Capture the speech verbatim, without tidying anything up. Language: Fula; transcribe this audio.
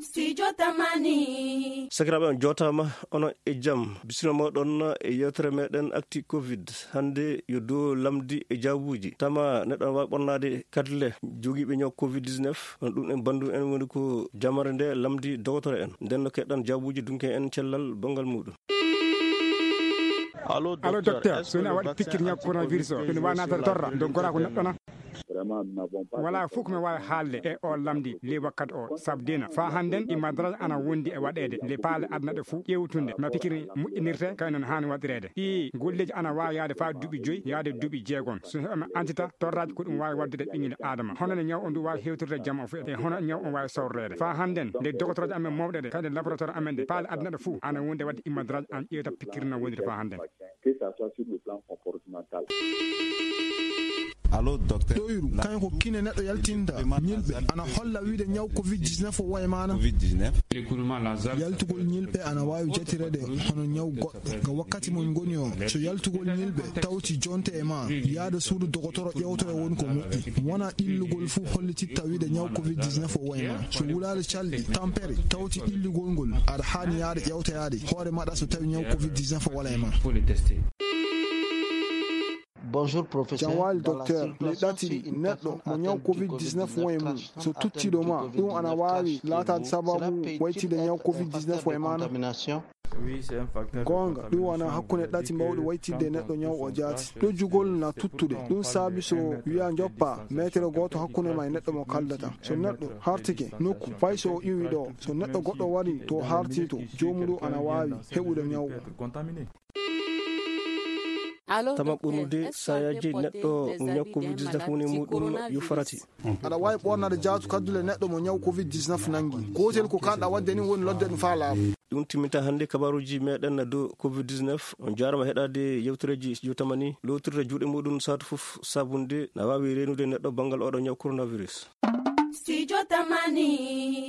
Studio Tamani. Sakiraaɓe, on jootaama, onon e jam. Bisimilla mooɗon e yewtere meɗen Actu Covid. Hannde yo dow lamndi e jaabuuji. Tama neɗɗo no waawi ɓornaade katle jogiiɓe ñaw Covid dix-neuf. Kono ɗum en banndu en woni ko jamare nde lamndi dogotoro en. Nden no keɗɗon jaabuuji dunke en cellal banngal muuɗum. Allo, docteur, so woni a waɗi pikkir ñaw coronavirus o, ene waawi naatade torra, dow goraa ko neɗɗo na? Vraiment, nous n'avons pas Wala fof ko mi waawi haalde e o lamndi ley wakkati o, sabu dina faa hannden ɗi madraji ana wondi e waɗeede nde paale aduna ɗe fof ƴeewtunde no pikkiri moƴƴinirte, kay noon haani waɗireede. Ɗi golleeji ana waawi yahde faa duuɓi joyi, yahde duuɓi jeegom. So heɓama antita torraaji ko ɗum waawi waɗdude ɓinngel Aadama. Hono no ñaw o ndu waawi hewtirde jam o fof, e hono ñaw o waawi sawreede. Faa hannden nde dogotorooje amen mawɗe ɗe, kadi laboratoire amen ɗe, paale aduna ɗe fof ana wondi e waɗde imadraji an ƴeewta pikkiri no woniri faa hannden. Que ça soit sur le plan comportemental. Allo, docteur. Ɗoyru, kañum ko kine neɗɗo yaltinta, ñilɓe, ana holla wiide ñaw Covid dix-neuf o wayi maana. Covid dix-neuf. Yaltugol ñilɓe ana waawi jatireede hono ñaw goɗɗo. Ga wakkati mo ngoni o, so yaltugol ñilɓe tawti jonte e ma, yaada suudu dogotoro ƴeewtoya woni ko moƴƴi. Wona ɗillugol fof hollititta wiide ñaw Covid dix-neuf o wayi ma. So wulaare calɗi, tampere, tawti ɗillugol ngol, aɗa haani yaade ƴeewtoyaade hoore maɗa so tawi ñaw Covid dix-neuf o wala e ma. Bonjour, professeur. Jam waali, docteur. Mi ɗati neɗɗo mo ñaw Covid dix-neuf won e mum. So tucciɗo ma, ɗum ana waawi laataade sababu waytide ñaw Covid dix-neuf o e maana? Goonga, ɗum wona hakkunde ɗati mawɗi waytidde neɗɗo ñaw o jaati. Ɗojjugol na tuttude. Ɗum saabi so wiya njoppa meetere gooto hakkunde ma e neɗɗo mo kaldata. So neɗɗo hartike nokku, fay so o iwi ɗo, so neɗɗo goɗɗo wari to harti to, joomuɗo ana waawi heɓude ñaw o. Tama ɓurnude sayaaji neɗɗo mo ñaw Covid dix-neuf woni muɗum yo farati. Aɗa waawi ɓornaade jaatu kaddule neɗɗo mo ñaw Covid dix-neuf nanngi. Gootel ko kaanɗa waɗde ni woni lodde ɗum faa laaɓa. Ɗum timminta hannde kabaaruuji meɗen dow Covid dix-neuf. On jaarama heɗaade yewtereeji Studio Tamani. Lootirde juuɗe muɗum saatu fof sabunde na waawi reenude neɗɗo banngal oɗo ñaw coronavirus. Studio Tamani.